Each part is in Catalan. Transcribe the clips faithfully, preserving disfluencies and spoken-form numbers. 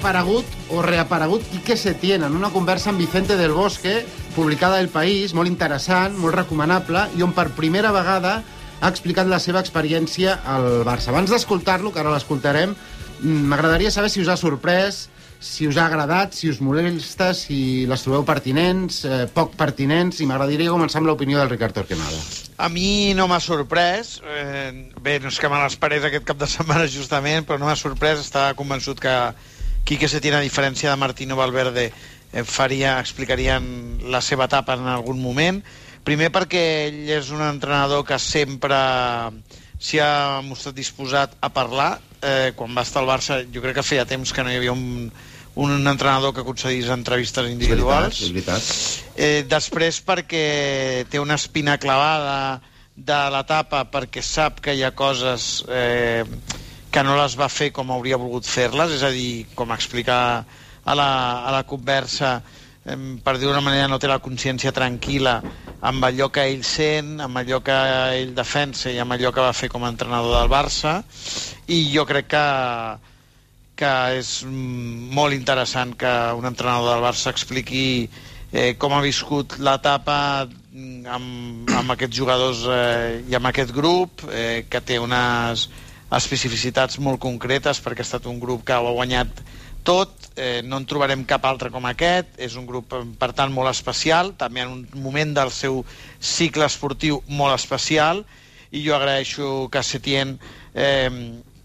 aparegut o reaparegut Quique Setién en una conversa amb Vicente del Bosque, publicada al País, molt interessant, molt recomanable, i on per primera vegada ha explicat la seva experiència al Barça. Abans d'escoltar-lo, que ara l'escoltarem, m'agradaria saber si us ha sorprès, si us ha agradat, si us molesta, si les trobeu pertinents, eh, poc pertinents, i m'agradaria començar amb l'opinió del Ricard Torquemada. A mi no m'ha sorprès, eh, bé, no és que me l'esperés aquest cap de setmana justament, però no m'ha sorprès, estava convençut que Quique Setién, a diferència de Martino Valverde, eh, faria, explicarien la seva etapa en algun moment. Primer perquè ell és un entrenador que sempre s'hi ha mostrat disposat a parlar. Eh, quan va estar al Barça, jo crec que feia temps que no hi havia un, un entrenador que concedís entrevistes individuals. És veritat, és veritat. Eh, després perquè té una espina clavada de l'etapa, perquè sap que hi ha coses eh, que no les va fer com hauria volgut fer-les, és a dir, com explicar a la, a la conversa, eh, per dir d'una manera, no té la consciència tranquil·la amb allò que ell sent, amb allò que ell defensa i amb allò que va fer com a entrenador del Barça, i jo crec que, que és molt interessant que un entrenador del Barça expliqui eh, com ha viscut l'etapa amb, amb aquests jugadors eh, i amb aquest grup, eh, que té unes especificitats molt concretes perquè ha estat un grup que ho ha guanyat tot, eh, no en trobarem cap altre com aquest, és un grup per tant molt especial, també en un moment del seu cicle esportiu molt especial, i jo agraeixo que Setién, eh,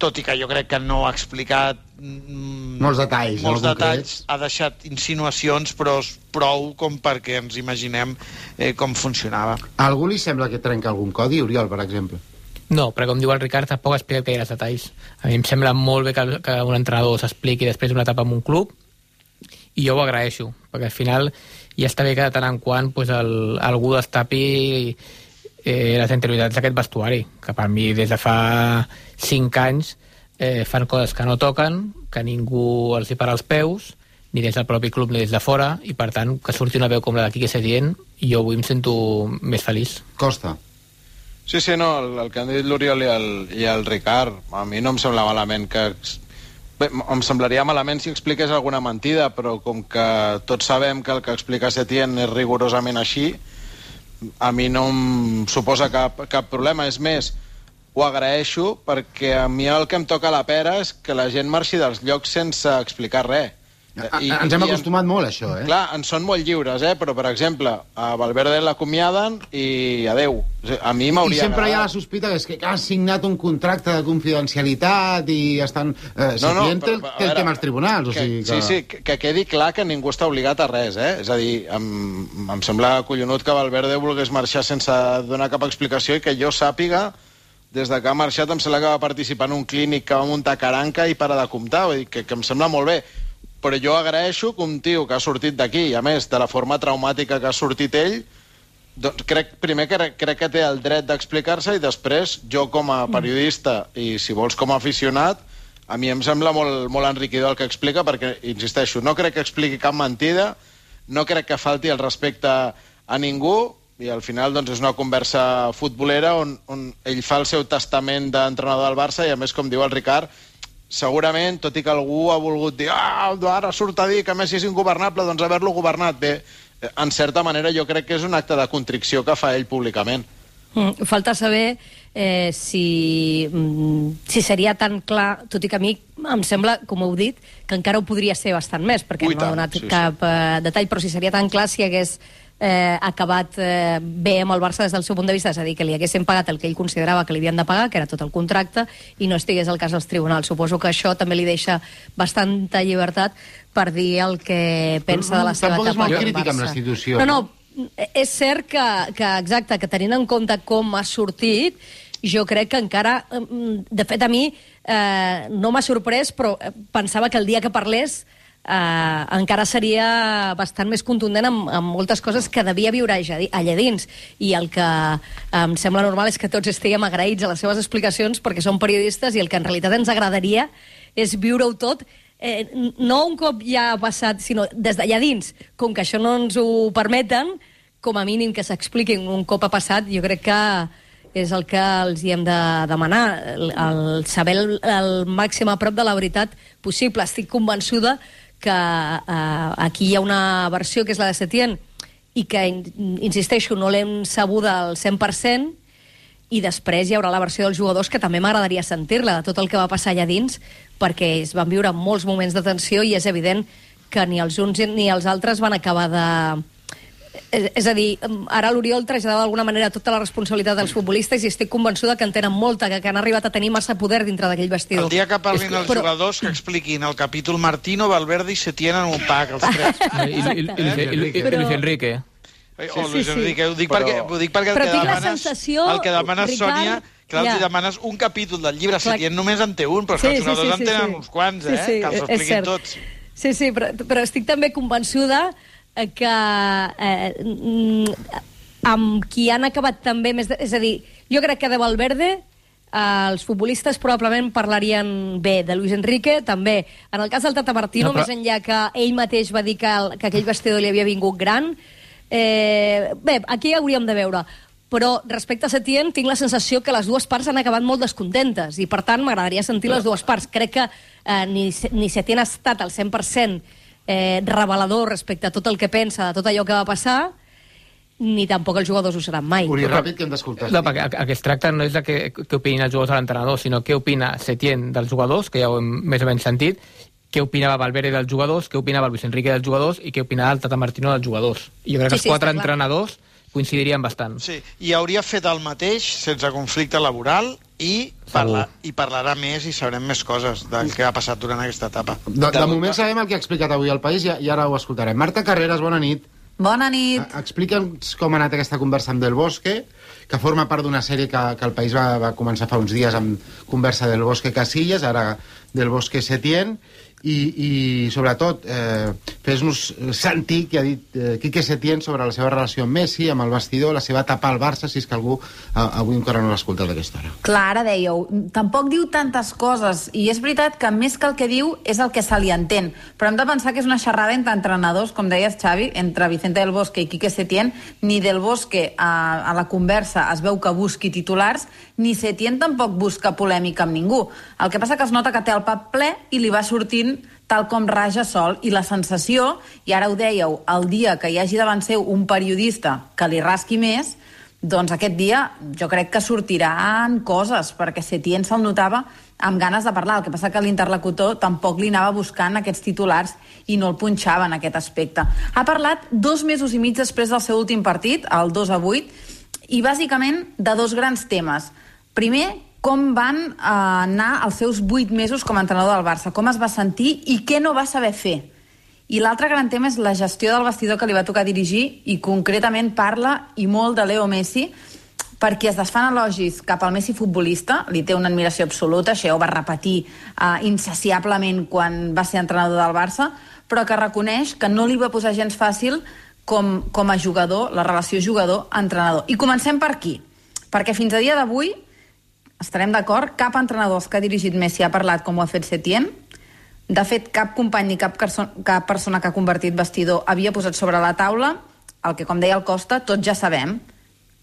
tot i que jo crec que no ha explicat mm, molts detalls, molts detalls ha deixat insinuacions, però prou com perquè ens imaginem eh, com funcionava. A algú li sembla que trenca algun codi, Oriol, per exemple? No, però com diu el Ricard, tampoc ha explicat gaire detalls. A mi em sembla molt bé que, que un entrenador s'expliqui després d'una etapa en un club, i jo ho agraeixo, perquè al final ja està bé que de tant en quant pues, el, algú destapi eh, les interioritats d'aquest vestuari, que per mi des de fa cinc anys eh, fan coses que no toquen, que ningú els hi para els peus, ni des del propi club ni des de fora, i per tant que surti una veu com la de Quique Setién, i jo avui em sento més feliç. Costa. Sí, sí, no, el, el que han dit l'Oriol i, el, i el Ricard, a mi no em sembla malament que... Bé, em semblaria malament si expliqués alguna mentida, però com que tots sabem que el que explica Setién és rigorosament així, a mi no em suposa cap, cap problema. És més, ho agraeixo perquè a mi el que em toca la pera és que la gent marxi dels llocs sense explicar res. I, ens hem acostumat en, molt a això, eh? Clar, en són molt lliures, eh? Però, per exemple, a Valverde l'acomiaden i adeu. A mi m'hauria I sempre agradat. hi ha la sospita que és que ha signat un contracte de confidencialitat i estan... Eh, no, no, Setién té el, té el tema als tribunals, o que, sigui que... Sí, sí, que, que quedi clar que ningú està obligat a res, eh? És a dir, em, em sembla collonut que Valverde volgués marxar sense donar cap explicació i que jo sàpiga, des de que ha marxat, em sembla que va participar en un clínic que va muntar caranca i para de comptar, vull dir que, que em sembla molt bé. Però jo agraeixo que un tio que ha sortit d'aquí, i a més de la forma traumàtica que ha sortit ell, doncs crec, primer que crec que té el dret d'explicar-se, i després jo com a periodista i si vols com a aficionat, a mi em sembla molt, molt enriquidor el que explica, perquè, insisteixo, no crec que expliqui cap mentida, no crec que falti el respecte a ningú, i al final doncs, és una conversa futbolera on, on ell fa el seu testament d'entrenador del Barça, i a més, com diu el Ricard, segurament, tot i que algú ha volgut dir ah, ara surt a dir que Messi és ingovernable, doncs haver-lo governat bé, en certa manera jo crec que és un acte de contrició que fa ell públicament. Mm, falta saber eh, si, mm, si seria tan clar, tot i que a mi em sembla, com heu dit, que encara ho podria ser bastant més, perquè Ui, no ha donat sí, cap sí. Eh, detall, però si seria tan clar si hagués eh, acabat eh, bé amb el Barça des del seu punt de vista, és a dir, que li haguessin pagat el que ell considerava que li havien de pagar, que era tot el contracte, i no estigués al cas dels tribunals. Suposo que això també li deixa bastanta llibertat per dir el que pensa no, de la seva etapa. Tampoc és molt crític amb la institució. No, no, és cert que, que, exacte, que tenint en compte com ha sortit, jo crec que encara... De fet, a mi eh, no m'ha sorprès, però pensava que el dia que parlés Uh, encara seria bastant més contundent amb, amb moltes coses que devia viure allà dins, i el que em sembla normal és que tots estiguem agraïts a les seves explicacions perquè som periodistes, i el que en realitat ens agradaria és viure-ho tot, eh, no un cop ja ha passat, sinó des d'allà dins. Com que això no ens ho permeten, com a mínim que s'expliquin un cop ha passat, jo crec que és el que els hi hem de demanar, el, el saber el, el màxim a prop de la veritat possible. Estic convençuda que eh, aquí hi ha una versió que és la de Setién i que, insisteixo, no l'hem sabuda al cent per cent, i després hi haurà la versió dels jugadors que també m'agradaria sentir-la, de tot el que va passar allà dins, perquè es van viure molts moments de tensió i és evident que ni els uns ni els altres van acabar de... És a dir, ara l'Oriol traslladava d'alguna manera tota la responsabilitat dels futbolistes i estic convençuda que en tenen molta, que, que han arribat a tenir massa poder dintre d'aquell vestidor. El dia que parlin que, els però... jugadors, que expliquin el capítol Martino, Valverde i Setién en un pack, els tres. I, i, i, i, i, i Luis Enrique. O Luis Enrique, ho dic perquè, ho dic perquè el, però que demanes, sensació, el que demanes, Ricard, Sònia, clar, ja. els demanes un capítol del llibre, Setién només en té un, però sí, els jugadors sí, sí, en tenen sí. uns quants, eh? Sí, sí, que els expliquin tots. Sí, sí, però, però estic també convençuda que eh, amb qui han acabat també més... De, és a dir, jo crec que de Valverde eh, els futbolistes probablement parlarien bé, de Luis Enrique també. En el cas del Tata Martino, no, però... més enllà que ell mateix va dir que, el, que aquell vestidor li havia vingut gran, eh, bé, aquí hauríem de veure. Però respecte a Setién tinc la sensació que les dues parts han acabat molt descontentes i per tant m'agradaria sentir les dues parts. Crec que eh, ni, ni Setién ha estat al cent per cent eh, revelador respecte a tot el que pensa de tot allò que va passar, ni tampoc els jugadors ho seran mai. Uri, ràpid, que hem d'escoltar. No, perquè el que es tracta no és de què, què opinin els jugadors a l'entrenador, sinó què opina Setién dels jugadors, que ja ho hem més o menys sentit, què opinava Valverde dels jugadors, què opinava Luis Enrique dels jugadors i què opinava el Tata Martino dels jugadors. I jo crec que sí, els sí, quatre entrenadors coincidirien bastant. Sí, i hauria fet el mateix sense conflicte laboral i, parla, i parlarà més i sabrem més coses del que ha passat durant aquesta etapa. De, de moment sabem el que ha explicat avui al País i, i ara ho escoltarem. Marta Carreras, bona nit. Bona nit. Explica'ns com ha anat aquesta conversa amb Del Bosque, que forma part d'una sèrie que, que el País va, va començar fa uns dies amb conversa del Bosque Casillas, ara Del Bosque Setién, i, i sobretot eh, fes-nos sentir que ha dit eh, Quique Setién sobre la seva relació amb Messi, amb el vestidor, la seva etapa al Barça, si és que algú eh, avui encara no l'ha escoltat d'aquesta hora. Clar, ara dèieu, tampoc diu tantes coses, i és veritat que més que el que diu és el que se li entén, però hem de pensar que és una xerrada entre entrenadors, com deies, Xavi, entre Vicente Del Bosque i Quique Setién. Ni Del Bosque a, a la conversa es veu que busqui titulars, ni Setién tampoc busca polèmica amb ningú. El que passa que es nota que té el pap ple i li va sortint tal com raja sol, i la sensació, i ara ho dèieu, el dia que hi hagi davant seu un periodista que li rasqui més, doncs aquest dia jo crec que sortiran coses, perquè Setién se'l notava amb ganes de parlar. El que passa que l'interlocutor tampoc li anava buscant aquests titulars i no el punxava en aquest aspecte. Ha parlat dos mesos i mig després del seu últim partit, el dos a vuit, i bàsicament de dos grans temes. Primer, com van eh, anar els seus vuit mesos com a entrenador del Barça, com es va sentir i què no va saber fer. I l'altre gran tema és la gestió del vestidor que li va tocar dirigir, i concretament parla i molt de Leo Messi, perquè es desfan elogis cap al Messi futbolista, li té una admiració absoluta, això ho va repetir eh, insaciablement quan va ser entrenador del Barça, però que reconeix que no li va posar gens fàcil com, com a jugador, la relació jugador-entrenador. I comencem per aquí, perquè fins a dia d'avui estarem d'acord, cap entrenador que ha dirigit Messi ha parlat com ho ha fet Setién. De fet, cap company ni cap, cap persona que ha convertit vestidor havia posat sobre la taula el que, com deia el Costa, tots ja sabem,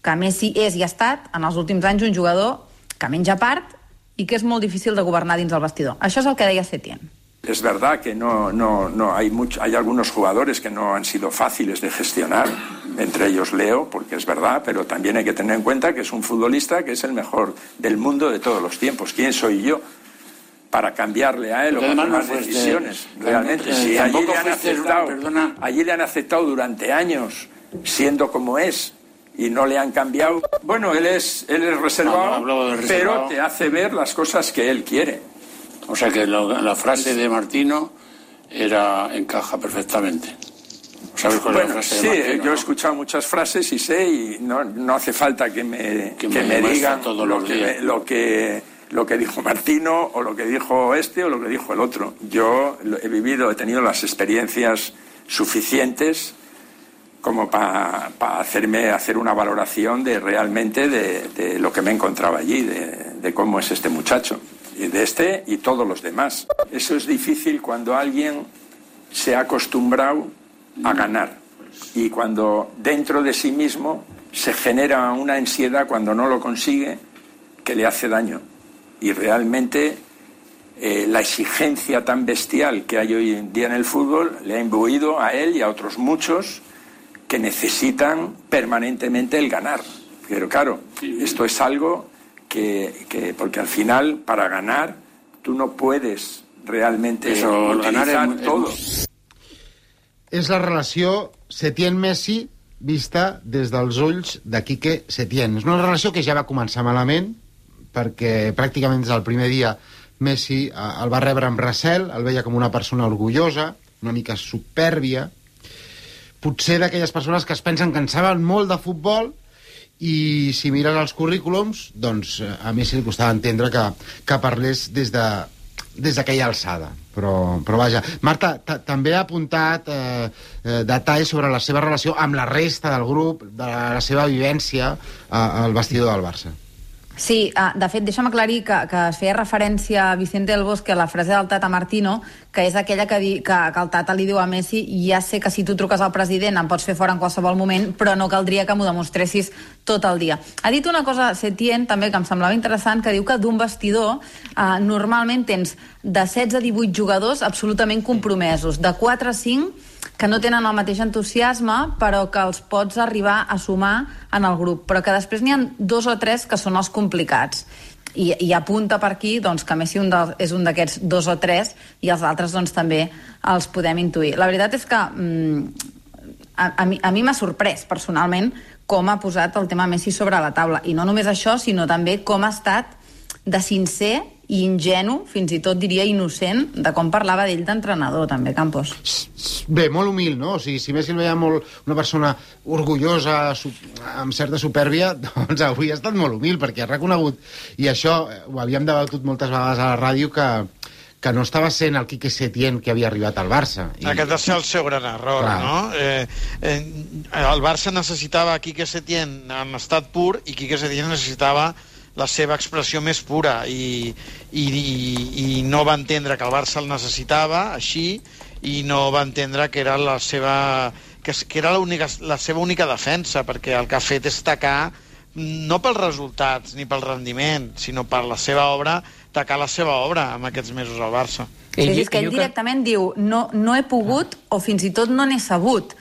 que Messi és i ha estat, en els últims anys, un jugador que menja part i que és molt difícil de governar dins el vestidor. Això és el que deia Setién. Es verdad que no, no, no hay, mucho, hay algunos jugadores que no han sido fáciles de gestionar, entre ellos Leo, porque es verdad, pero también hay que tener en cuenta que es un futbolista que es el mejor del mundo de todos los tiempos. ¿Quién soy yo para cambiarle a él o para tomar decisiones? Realmente, si allí le han aceptado, allí le han aceptado durante años, siendo como es, y no le han cambiado. Bueno, él es, él es reservado, no, no reservado, pero te hace ver las cosas que él quiere. O sea que lo, la frase de Martino era encaja perfectamente. ¿Sabes cuál bueno, es la frase sí, de Martino? Yo ¿no? he escuchado muchas frases y sé, y no, no hace falta que me, que que me, me digan todos lo, los que días. me, lo, que, lo que dijo Martino, o lo que dijo este, o lo que dijo el otro. Yo he vivido, he tenido las experiencias suficientes como para pa hacerme hacer una valoración de realmente de, de lo que me encontraba allí, de, de cómo es este muchacho, y de este y todos los demás. Eso es difícil cuando alguien se ha acostumbrado a ganar, y cuando dentro de sí mismo se genera una ansiedad cuando no lo consigue que le hace daño. Y realmente eh, la exigencia tan bestial que hay hoy en día en el fútbol le ha imbuido a él y a otros muchos que necesitan permanentemente el ganar. Pero claro, esto es algo que, que porque al final, para ganar, tú no puedes realmente Eso, utilizar ganar es, todo. És la relació Setién-Messi vista des dels ulls de Quique Setién. És una relació que ja va començar malament, perquè pràcticament des del primer dia Messi el va rebre amb recel, el veia com una persona orgullosa, una mica supèrbia, potser d'aquelles persones que es pensen que en saben molt de futbol, i si mires els currículums, doncs a Messi li costava entendre que, que parlés des de des d'aquella alçada, però, però vaja. Marta, també ha apuntat eh, eh, detalls sobre la seva relació amb la resta del grup, de la seva vivència eh, al vestidor del Barça. Sí, uh, de fet, deixa'm aclarir que, que es feia referència a Vicente del Bosque a la frase del Tata Martino, que és aquella que, di, que, que el Tata li diu a Messi: ja sé que si tu truques al president em pots fer fora en qualsevol moment, però no caldria que m'ho demostressis tot el dia. Ha dit una cosa, Setién, també, que em semblava interessant, que diu que d'un vestidor uh, normalment tens de setze a divuit jugadors absolutament compromesos, de quatre a cinc que no tenen el mateix entusiasme, però que els pots arribar a sumar en el grup, però que després n'hi ha dos o tres que són els complicats. I, i apunta per aquí doncs, que Messi un de, és un d'aquests dos o tres, i els altres doncs, també els podem intuir. La veritat és que mm, a, a mi, a mi m'ha sorprès, personalment, com ha posat el tema Messi sobre la taula. I no només això, sinó també com ha estat de sincer i ingenu, fins i tot diria innocent, de com parlava d'ell d'entrenador, també, Campos. Bé, molt humil, no? O sigui, si Messi el veia molt una persona orgullosa, amb certa supèrbia, doncs avui ha estat molt humil, perquè ha reconegut, i això ho havíem debatut moltes vegades a la ràdio, que, que no estava sent el Quique Setién que havia arribat al Barça. I... Aquest va ser el seu gran error, clar, no? Eh, eh, el Barça necessitava Quique Setién en estat pur, i Quique Setién necessitava la seva expressió més pura, i, i, i no va entendre que el Barça el necessitava així, i no va entendre que era la seva, que, que era la, única, la seva única defensa, perquè el que ha fet és tacar, no pels resultats ni pel rendiment, sinó per la seva obra, tacar la seva obra amb aquests mesos al Barça. Sí, és que ell directament diu no, no he pogut, o fins i tot no n'he sabut.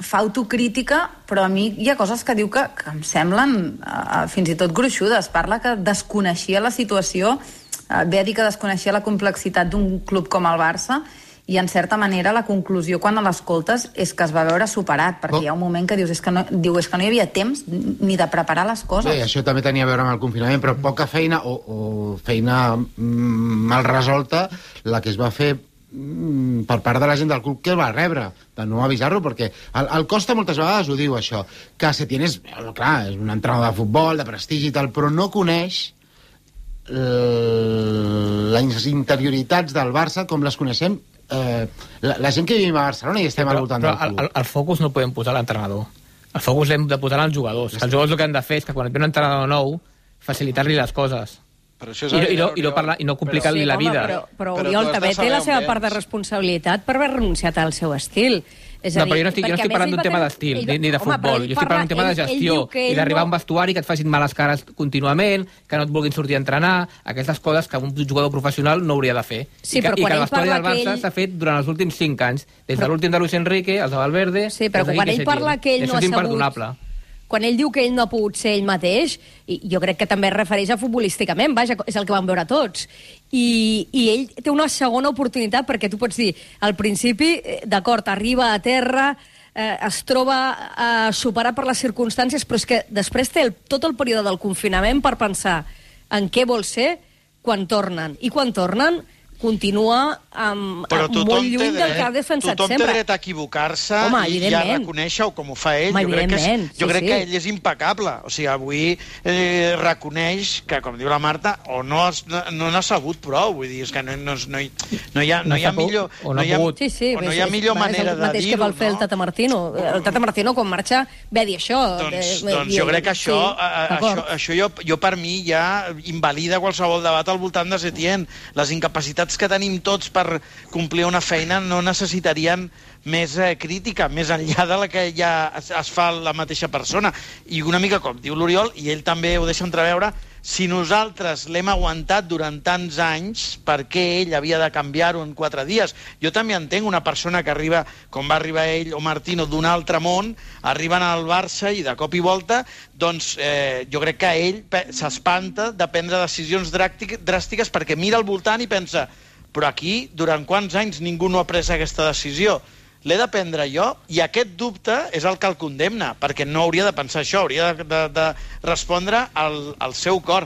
Fa autocrítica, però a mi hi ha coses que diu que, que em semblen uh, fins i tot gruixudes. Parla que desconeixia la situació, uh, ve a dir que desconeixia la complexitat d'un club com el Barça, i en certa manera la conclusió quan l'escoltes és que es va veure superat, perquè oh. hi ha un moment que dius és que, no, diu, és que no hi havia temps ni de preparar les coses. Bé, això també tenia a veure amb el confinament, però poca feina o, o feina mm, mal resolta la que es va fer per part de la gent del club que el va rebre, de no avisar-lo, perquè el, el Costa moltes vegades ho diu, això, que Setién és, clar, és un entrenador de futbol, de prestigi i tal, però no coneix eh, les interioritats del Barça com les coneixem eh, la, la gent que vivim a Barcelona i estem però, al voltant però del club. El, el focus no el podem posar a l'entrenador. El focus l'hem de posar als jugadors. Els jugadors el que han de fer és que quan et ve un entrenador nou, facilitar-li les coses. Però això és I, i, no, Oriol, i, no parlar, i no complicar-li sí, la home, vida. Però, però, però Oriol també té la seva bé. part de responsabilitat per haver renunciat al seu estil. És No, a dir, però jo no estic, jo no estic parlant d'un tema d'estil, ni, ni de home, futbol. Jo estic parlant d'un tema de gestió i d'arribar a un vestuari que et facin males cares contínuament, que no et vulguin sortir a entrenar, aquestes coses que un jugador professional no hauria de fer. Sí, I que, i que el vestuari del Barça ell... s'ha fet durant els últims cinc anys, des de l'últim de Luis Enrique, els de Valverde... Sí, però quan ell parla que ell no ha sabut... Quan ell diu que ell no ha pogut ser ell mateix, i jo crec que també es refereix a futbolísticament, vaja, és el que vam veure tots. I, i ell té una segona oportunitat, perquè tu pots dir, al principi, d'acord, arriba a terra, eh, es troba eh, superat per les circumstàncies, però és que després té el, tot el període del confinament per pensar en què vol ser quan tornen. I quan tornen continua amb, amb molt lluny del que ha defensat tothom sempre. Tothom té dret a equivocar-se i ja reconèixer-ho com ho fa ell. Home, jo crec, que, és, jo sí, crec sí. que ell és impecable. O sigui, avui eh, reconeix que, com diu la Marta, o no, has, no n'ha sabut prou. Vull dir, és que no, no, no, hi, no, hi, ha, no hi ha millor, o no hi ha, sí, sí, o no hi ha millor és, manera és de dir-ho. el mateix que va fer no? el Tata Martino. El Tata Martino, quan marxa, ve a dir això. Doncs, de, doncs jo crec que això, sí, a, això, això jo, jo per mi ja invalida qualsevol debat al voltant de Setién. Les incapacitats capacitats que tenim tots per complir una feina no necessitarien més eh, crítica, més enllà de la que ja es, es fa la mateixa persona. I una mica com diu l'Oriol, i ell també ho deixa entreveure, si nosaltres l'hem aguantat durant tants anys, per què ell havia de canviar-ho en quatre dies? Jo també entenc una persona que arriba, com va arribar ell o Martino, d'un altre món, arriben al Barça i de cop i volta, doncs eh, jo crec que ell s'espanta de prendre decisions dràstiques perquè mira al voltant i pensa, però aquí, durant quants anys ningú no ha pres aquesta decisió? L'he de prendre jo, i aquest dubte és el que el condemna, perquè no hauria de pensar això, hauria de, de, de respondre al, al seu cor.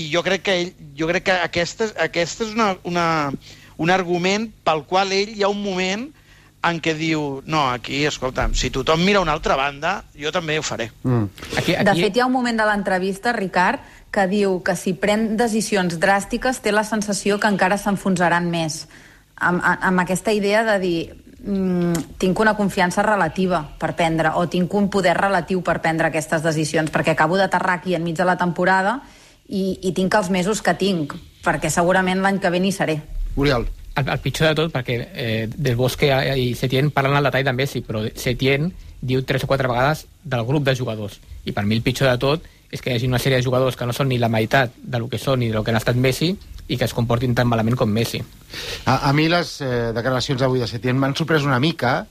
I jo crec que ell, jo crec que aquesta, aquesta és una, una, un argument pel qual ell hi ha un moment en què diu, no, aquí, escolta'm, si tothom mira a una altra banda, jo també ho faré. Mm. Aquí, aquí... De fet, hi ha un moment de l'entrevista, Ricard, que diu que si pren decisions dràstiques té la sensació que encara s'enfonsaran més. Amb, amb aquesta idea de dir... Mm, tinc una confiança relativa per prendre, o tinc un poder relatiu per prendre aquestes decisions, perquè acabo d'aterrar aquí enmig de la temporada i, i tinc els mesos que tinc, perquè segurament l'any que ve n'hi seré. Oriol. El, el pitjor de tot, perquè eh, Del Bosque i Setién parlen al detall de Messi, però Setién diu tres o quatre vegades del grup de jugadors, i per mi el pitjor de tot és que hi hagi una sèrie de jugadors que no són ni la meitat del que són ni del que han estat Messi i que es comportin tan malament com Messi. A, a mi les eh, declaracions d'avui de Setién m'han sorprès una mica,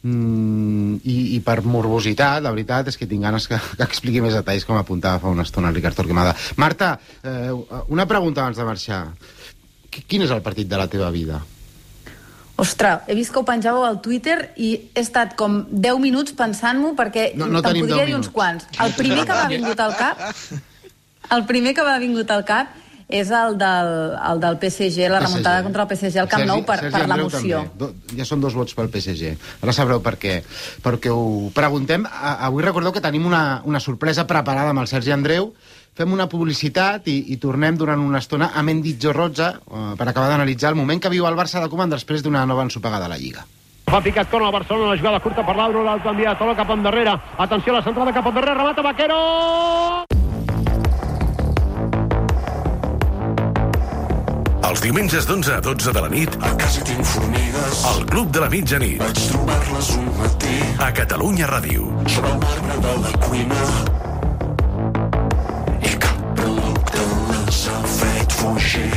mm, i, i per morbositat, la veritat és que tinc ganes que, que expliqui més detalls, com apuntava fa una estona el Ricard Torquemada. Marta, eh, una pregunta abans de marxar. Quin és el partit de la teva vida? Ostres, he vist que ho penjàveu al Twitter i he estat com deu minuts pensant-m'ho perquè no, no te'n podria dir uns quants. El primer que m'ha vingut al cap el primer que m'ha vingut al cap és el del, el del P S G, la P S G. Remuntada contra el P S G al Camp Nou per, per l'emoció. Ja són dos vots pel P S G. Ara sabreu per què. Perquè ho preguntem. Avui recordeu que tenim una, una sorpresa preparada amb el Sergi Andreu. Fem una publicitat i, i tornem durant una estona a Mendy Jorrotza uh, per acabar d'analitzar el moment que viu el Barça de Koeman després d'una nova ensopegada a la Lliga. Fa picat corna el Barcelona, la jugada curta per l'Auro, l'alto enviat, Tolo cap endarrere. Atenció a la centrada cap endarrere, remata Vaquero! Els diumenges d'onze a dotze de la nit a casa tinc formigues al Club de la Mitjanit. Vaig trobar-les un matí a Catalunya Ràdio. Sobre el marbre de la cuina i cap producte les ha fet fugir.